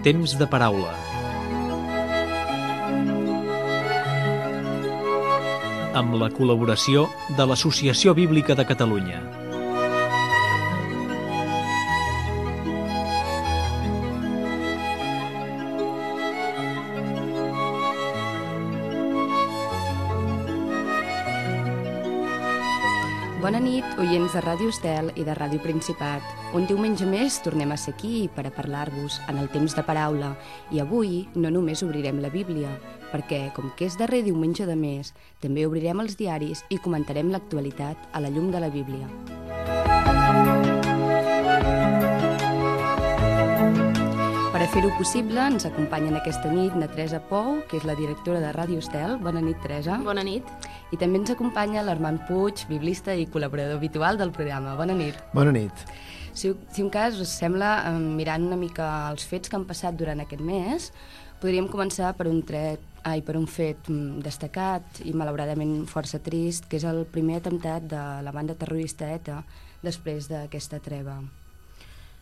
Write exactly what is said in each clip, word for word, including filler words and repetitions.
Temps de paraula. Amb la col·laboració de l'Associació Bíblica de Catalunya. Bona nit, oients de Ràdio Estel i de Ràdio Principat. Un diumenge més tornem a ser aquí per a parlar-vos en el temps de paraula. I avui no només obrirem la Bíblia, perquè, com que és darrer diumenge de mes, també obrirem els diaris i comentarem l'actualitat a la llum de la Bíblia. Per a fer-ho possible, ens acompanyen aquesta nit na Teresa Pou, que és la directora de Ràdio Estel. Bona nit, Teresa. Bona nit. I també ens acompanya l'Armand Puig, biblista i col·laborador habitual del programa. Bona nit. Bona nit. Si, si un cas us sembla, mirant una mica els fets que han passat durant aquest mes, podríem començar per un, tret, ai, per un fet destacat i malauradament força trist, que és el primer atemptat de la banda terrorista ETA després d'aquesta treva.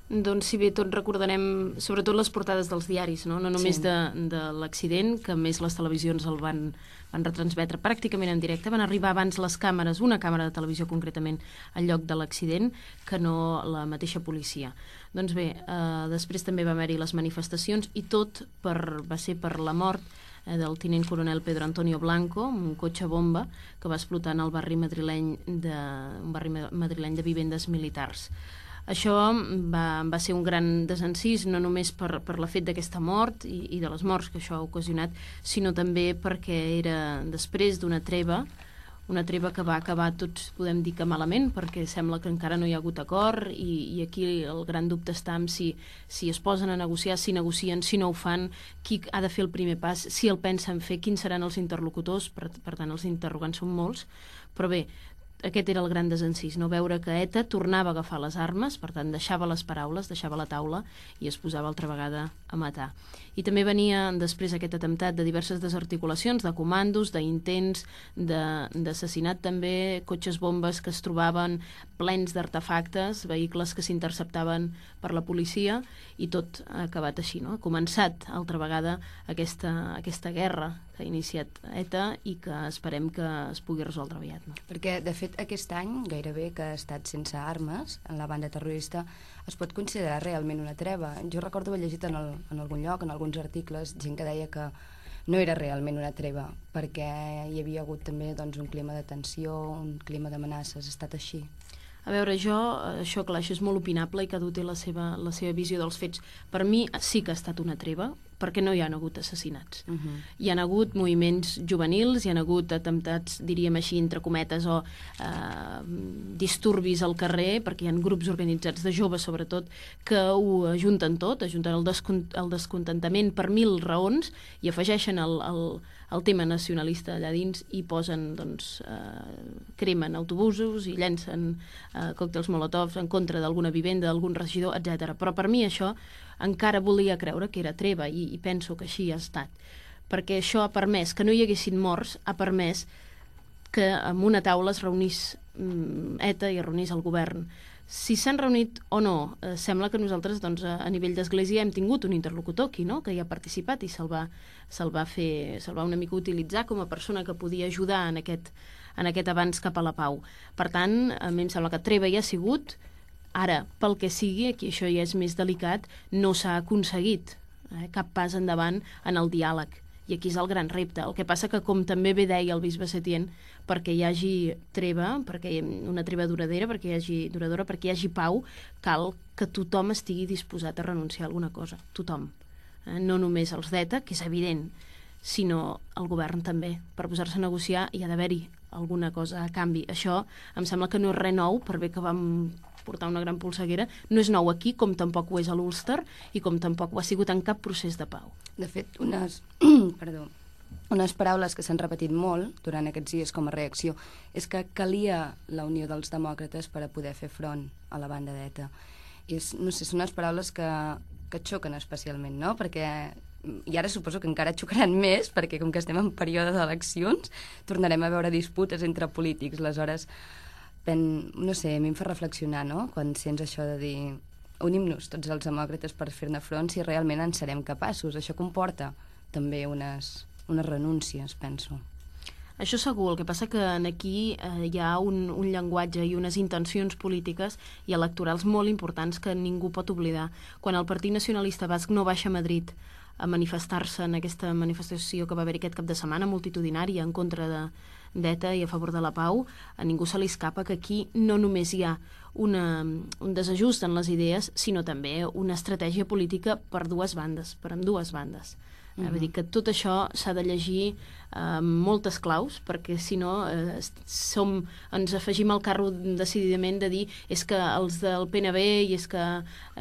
Doncs si bé tot recordarem sobretot les portades dels diaris, no, no només sí. de, de l'accident, que a més les televisions el van, van retransmetre pràcticament en directe, van arribar abans les càmeres, una càmera de televisió concretament, al lloc de l'accident, que no la mateixa policia. Doncs bé, eh, després també va haver-hi les manifestacions i tot per, va ser per la mort eh, del tinent coronel Pedro Antonio Blanco, un cotxe bomba que va explotar en el barri madrileny de, un barri madrileny de vivendes militars. Això va, va ser un gran desencís, no només per, per la fet d'aquesta mort i, i de les morts que això ha ocasionat, sinó també perquè era després d'una treva, una treva que va acabar, tots podem dir que malament, perquè sembla que encara no hi ha hagut acord i, i aquí el gran dubte està en si, si es posen a negociar, si negocien, si no ho fan, qui ha de fer el primer pas, si el pensen fer, quins seran els interlocutors, per, per tant els interrogants són molts, però bé, aquest era el gran desencís, no veure que ETA tornava a agafar les armes, per tant deixava les paraules, deixava la taula i es posava altra vegada a matar. I també venia després aquest atemptat de diverses desarticulacions, de comandos, d'intents, d'assassinat també, cotxes bombes que es trobaven plens d'artefactes, vehicles que s'interceptaven per la policia i tot ha acabat així, no? Ha començat altra vegada aquesta, aquesta guerra que ha iniciat ETA i que esperem que es pugui resoldre aviat. No? Perquè, de fet, aquest any, gairebé que ha estat sense armes en la banda terrorista, es pot considerar realment una treva. Jo recordo haver llegit en, el, en algun lloc, en alguns articles, gent que deia que no era realment una treva, perquè hi havia hagut també doncs, un clima de tensió, un clima d'amenaces. Ha estat així? A veure, jo, això clar, això és molt opinable i cada un té la seva, la seva visió dels fets. Per mi sí que ha estat una treva, perquè no hi ha hagut assassinats. Uh-huh. Hi ha hagut moviments juvenils, hi ha hagut atemptats, diríem així, entre cometes, o eh, disturbis al carrer, perquè hi ha grups organitzats de joves, sobretot, que ho ajunten tot, ajunten el, descont el descontentament per mil raons i afegeixen el, el, el tema nacionalista allà dins i posen, doncs, eh, cremen autobusos i llencen eh, còctels molotovs en contra d'alguna vivenda, d'algun regidor, etcètera. Però per mi això encara volia creure que era treva i, i penso que així ha estat. Perquè això ha permès que no hi haguessin morts, ha permès que en una taula es reunís mm, ETA i es reunís el govern. Si s'han reunit o no, eh, sembla que nosaltres doncs, a, a nivell d'església hem tingut un interlocutor aquí, no? Que hi ha participat i se'l va, se'l va fer, se'l va una mica utilitzar com a persona que podia ajudar en aquest, en aquest avanç cap a la pau. Per tant, a mi em sembla que treva hi ha sigut. Ara, pel que sigui, aquí això ja és més delicat, no s'ha aconseguit eh, cap pas endavant en el diàleg. I aquí és el gran repte. El que passa que, com també bé deia el bisbe Setién, perquè hi hagi treva, perquè hi hagi una treva duradera, perquè hi hagi duradora, perquè hi hagi pau, cal que tothom estigui disposat a renunciar a alguna cosa. Tothom. Eh? No només els d'ETA, que és evident, sinó el govern també. Per posar-se a negociar hi ha d'haver-hi alguna cosa a canvi. Això em sembla que no és res nou, per bé que vam portar una gran polseguera, no és nou aquí, com tampoc ho és a l'Ulster i com tampoc ho ha sigut en cap procés de pau. De fet, unes, perdó, unes paraules que s'han repetit molt durant aquests dies com a reacció és que calia la unió dels demòcrates per a poder fer front a la banda d'ETA. I és, no sé, són unes paraules que, que xoquen especialment, no? Perquè i ara suposo que encara xocaran més, perquè com que estem en període d'eleccions, tornarem a veure disputes entre polítics. Aleshores, pen, no sé, a mi em fa reflexionar, no?, quan sents això de dir unim-nos tots els demòcrates per fer-ne front si realment en serem capaços. Això comporta també unes, unes renúncies, penso. Això segur, el que passa que aquí eh, hi ha un, un llenguatge i unes intencions polítiques i electorals molt importants que ningú pot oblidar. Quan el Partit Nacionalista Basc no baixa a Madrid a manifestar-se en aquesta manifestació que va haver aquest cap de setmana multitudinària en contra de d'ETA i a favor de la pau, a ningú se li escapa que aquí no només hi ha una, un desajust en les idees, sinó també una estratègia política per dues bandes, per ambdues bandes. Uh-huh. Vull dir que tot això s'ha de llegir eh, moltes claus, perquè si no eh, som, ens afegim al carro decididament de dir és que els del P N B i és que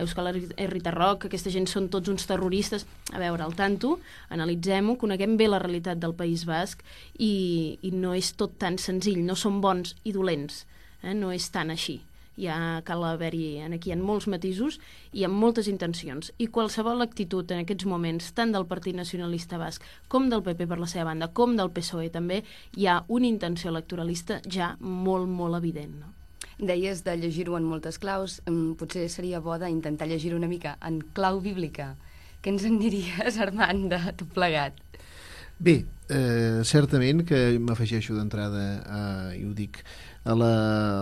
Euskal Herritar Rock, aquesta gent són tots uns terroristes. A veure, al tanto, analitzem-ho, coneguem bé la realitat del País Basc i, i no és tot tan senzill, no són bons i dolents, eh? No és tan així. Ja cal haver-hi, aquí hi ha molts matisos i amb moltes intencions. I qualsevol actitud en aquests moments, tant del Partit Nacionalista Basc com del P P per la seva banda, com del P S O E també, hi ha una intenció electoralista ja molt, molt evident, no? Deies de llegir-ho en moltes claus, potser seria bo d'intentar llegir una mica en clau bíblica. Què ens en diries, Armand, de tot plegat? Bé, eh, certament que m'afegeixo d'entrada, eh, i ho dic, a la,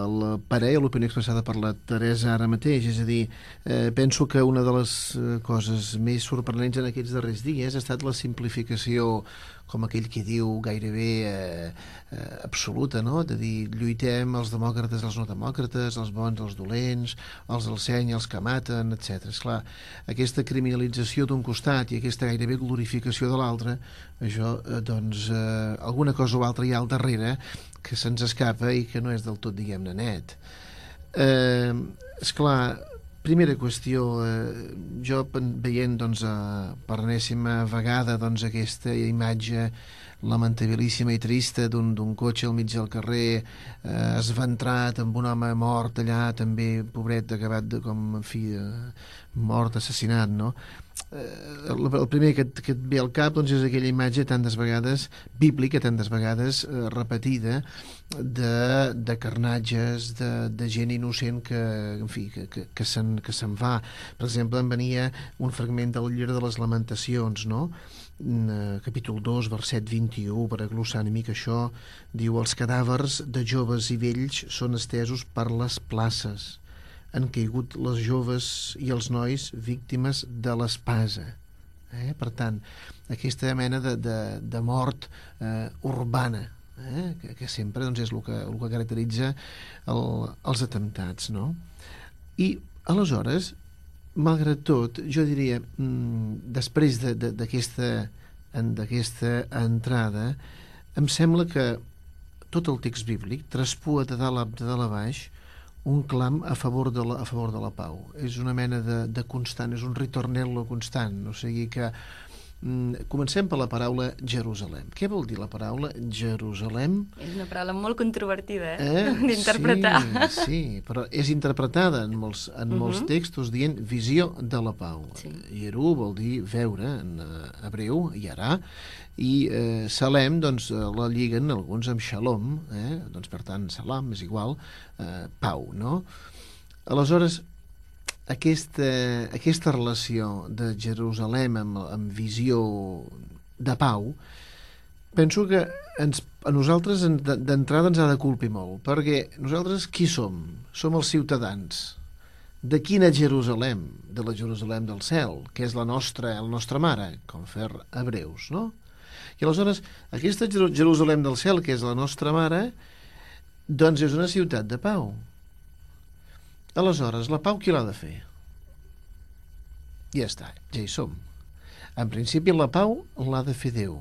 a la parella, a l'opinió expressada per la Teresa ara mateix. És a dir, eh, penso que una de les eh, coses més sorprenents en aquests darrers dies ha estat la simplificació, com aquell que diu, gairebé eh, eh, absoluta, no? De dir, lluitem els demòcrates, els no demòcrates, els bons, els dolents, els del seny, els que maten, etcètera. Esclar, aquesta criminalització d'un costat i aquesta gairebé glorificació de l'altre, això, eh, doncs, eh, alguna cosa o altra hi ha al darrere que se'ns escapa i que no és del tot, diguem-ne, net. Eh, esclar, primera qüestió, eh, jo veient, doncs, a, per enèsima vegada, doncs, aquesta imatge lamentabilíssima i trista d'un cotxe al mig del carrer, eh, esventrat amb un home mort allà, també, pobret, acabat de, com, en fi, eh, mort, assassinat, no? Eh, el, el primer que, que et ve al cap, doncs, és aquella imatge tantes vegades, bíblica, tantes vegades eh, repetida, de, de carnatges, de, de gent innocent que, en fi, que, que, que se'n que se'n va. Per exemple, em venia un fragment del llibre de les Lamentacions, no? Capítol dos, verset vint-i-u, per aglossar una mica això, diu: els cadàvers de joves i vells són estesos per les places. Han caigut les joves i els nois víctimes de l'espasa. Eh? Per tant, aquesta mena de, de, de mort eh, urbana, eh? que, que sempre, doncs, és el que, el que caracteritza el, els atemptats, no? I, aleshores, malgrat tot, jo diria, després d'aquesta d'aquesta entrada, em sembla que tot el text bíblic traspua de dalt a, de dalt a baix un clam a favor de la, a favor de la pau. És una mena de, de constant, és un ritornello constant. O sigui que mm, comencem per la paraula Jerusalem. Què vol dir la paraula Jerusalem? És una paraula molt controvertida, eh? eh? d'interpretar. Sí, sí, però és interpretada en molts, en uh-huh. molts textos dient visió de la pau. Sí. Jeru vol dir veure en uh, hebreu, Yarà, i eh, Salem, doncs, la lliguen alguns amb Shalom, eh? Doncs, per tant, Salam és igual, eh, pau, no? Aleshores, aquesta, aquesta relació de Jerusalem amb, amb visió de pau, penso que ens, a nosaltres d'entrada ens ha de colpir molt, perquè nosaltres qui som? Som els ciutadans. De quina Jerusalem? De la Jerusalem del cel, que és la nostra, la nostra mare, com fer hebreus, no? I aleshores, aquesta Jerusalem del cel, que és la nostra mare, doncs és una ciutat de pau. Aleshores, la pau qui l'ha de fer? Ja està, ja hi som. En principi, la pau l'ha de fer Déu,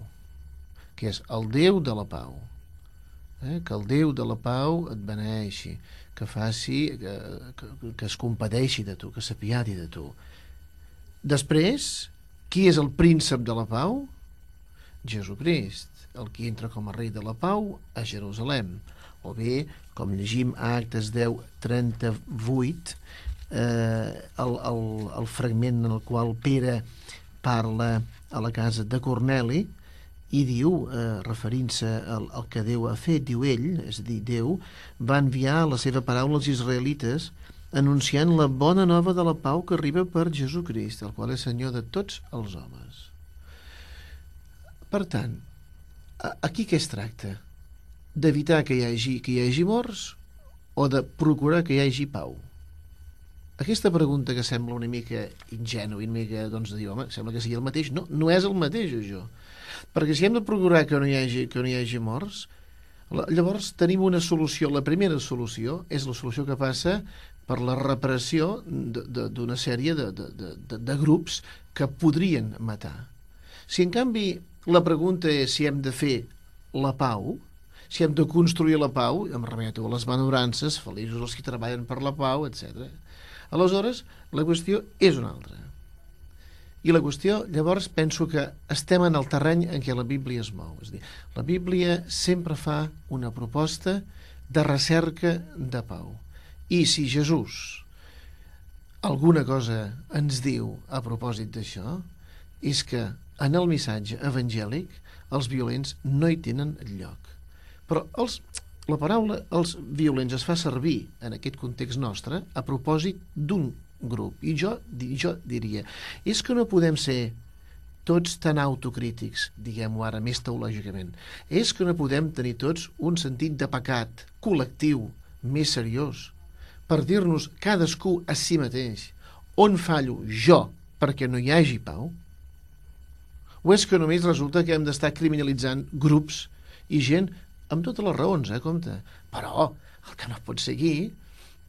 que és el Déu de la pau. Eh? Que el Déu de la pau et beneeixi, que faci, que, que, que es compadeixi de tu, que s'apiadi de tu. Després, qui és el príncep de la pau? Jesucrist, el que entra com a rei de la pau a Jerusalem. O bé, com llegim a Actes deu trenta-vuit, eh, el, el, el fragment en el qual Pere parla a la casa de Corneli i diu, eh, referint-se al, al que Déu ha fet, diu ell, és a dir, Déu va enviar la seva paraula als israelites anunciant la bona nova de la pau que arriba per Jesucrist, el qual és Senyor de tots els homes. Per tant, aquí què es tracta? D'evitar que hi hagi, que hi hagi morts o de procurar que hi hagi pau? Aquesta pregunta que sembla una mica ingènua, una mica, doncs, de dir, home, sembla que sigui el mateix. No, no és el mateix, això. Perquè si hem de procurar que no hi hagi, que no hi hagi morts, llavors tenim una solució. La primera solució és la solució que passa per la repressió d'una sèrie de, de, de, de, de grups que podrien matar. Si, en canvi, la pregunta és si hem de fer la pau, si hem de construir la pau, em remeto a les benaventurances, feliços els que treballen per la pau, etcètera. Aleshores, la qüestió és una altra. I la qüestió, llavors, penso que estem en el terreny en què la Bíblia es mou. És a dir, la Bíblia sempre fa una proposta de recerca de pau. I si Jesús alguna cosa ens diu a propòsit d'això, és que en el missatge evangèlic els violents no hi tenen lloc. Però els... La paraula els violents es fa servir en aquest context nostre a propòsit d'un grup. I jo, jo diria, és que no podem ser tots tan autocrítics, diguem-ho ara més teològicament. És que no podem tenir tots un sentit de pecat col·lectiu més seriós per dir-nos cadascú a si mateix on fallo jo perquè no hi hagi pau? O és que només resulta que hem d'estar criminalitzant grups i gent amb totes les raons, eh, compte. Però el que no pot seguir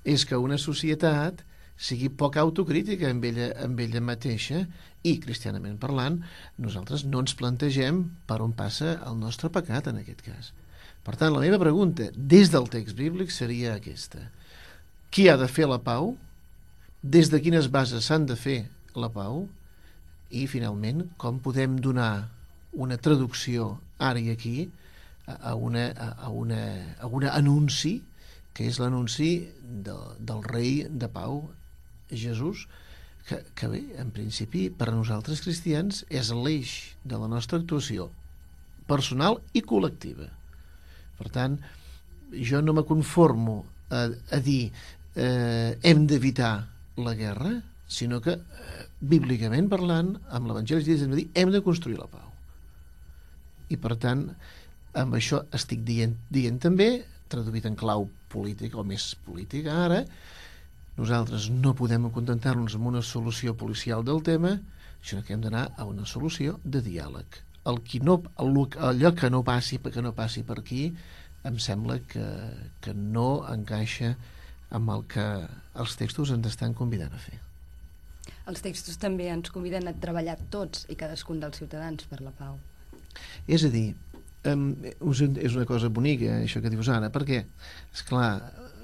és que una societat sigui poc autocrítica amb ella, amb ella mateixa i, cristianament parlant, nosaltres no ens plantegem per on passa el nostre pecat en aquest cas. Per tant, la meva pregunta des del text bíblic seria aquesta. Qui ha de fer la pau? Des de quines bases s'han de fer la pau? I, finalment, com podem donar una traducció ara i aquí a una, a una, a una anunci que és l'anunci de, del rei de pau Jesús que, que bé, en principi per a nosaltres cristians és l'eix de la nostra actuació personal i col·lectiva. Per tant, jo no me conformo a, a dir eh, hem d'evitar la guerra, sinó que eh, bíblicament parlant amb l'Evangeli hem de dir hem de construir la pau. I per tant amb això estic dient, dient també, traduït en clau política o més política ara, nosaltres no podem contentar-nos amb una solució policial del tema, sinó que hem d'anar a una solució de diàleg. El qui no, allò que no passi, que no passi per aquí, em sembla que, que no encaixa amb el que els textos ens estan convidant a fer. Els textos també ens conviden a treballar tots i cadascun dels ciutadans per la pau. És a dir, Um, és una cosa bonica això que dius ara, perquè esclar,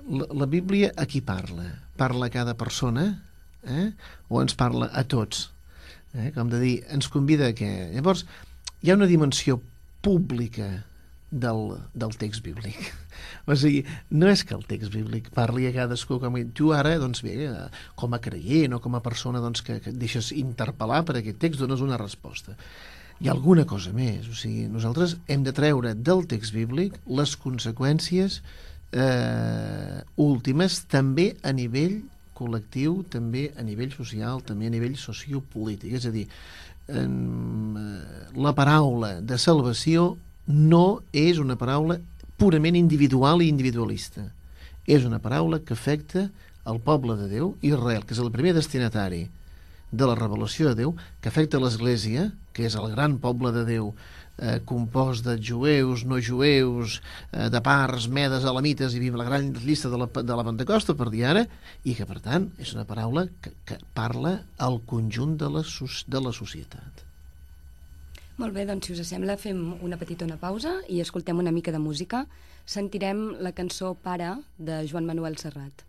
la, la Bíblia a qui parla? Parla a cada persona eh? O ens parla a tots eh? Com de dir, ens convida a què? Llavors hi ha una dimensió pública del, del text bíblic, o sigui, no és que el text bíblic parli a cadascú com tu ara, doncs bé, com a creient o com a persona doncs, que, que et deixes interpel·lar per aquest text, dones una resposta. Hi ha alguna cosa més, o sigui, nosaltres hem de treure del text bíblic les conseqüències eh, últimes també a nivell col·lectiu, també a nivell social, també a nivell sociopolític. És a dir, eh, la paraula de salvació no és una paraula purament individual i individualista. És una paraula que afecta el poble de Déu, Israel, que és el primer destinatari de la revelació de Déu, que afecta l'Església, que és el gran poble de Déu eh, compost de jueus, no jueus, eh, de parts, medes, elamites, i la gran llista de la, de la Pentecosta, per dir ara, i que, per tant, és una paraula que, que parla al conjunt de la, de la societat. Molt bé, doncs, si us sembla, fem una petita pausa i escoltem una mica de música. Sentirem la cançó Pare, de Joan Manuel Serrat.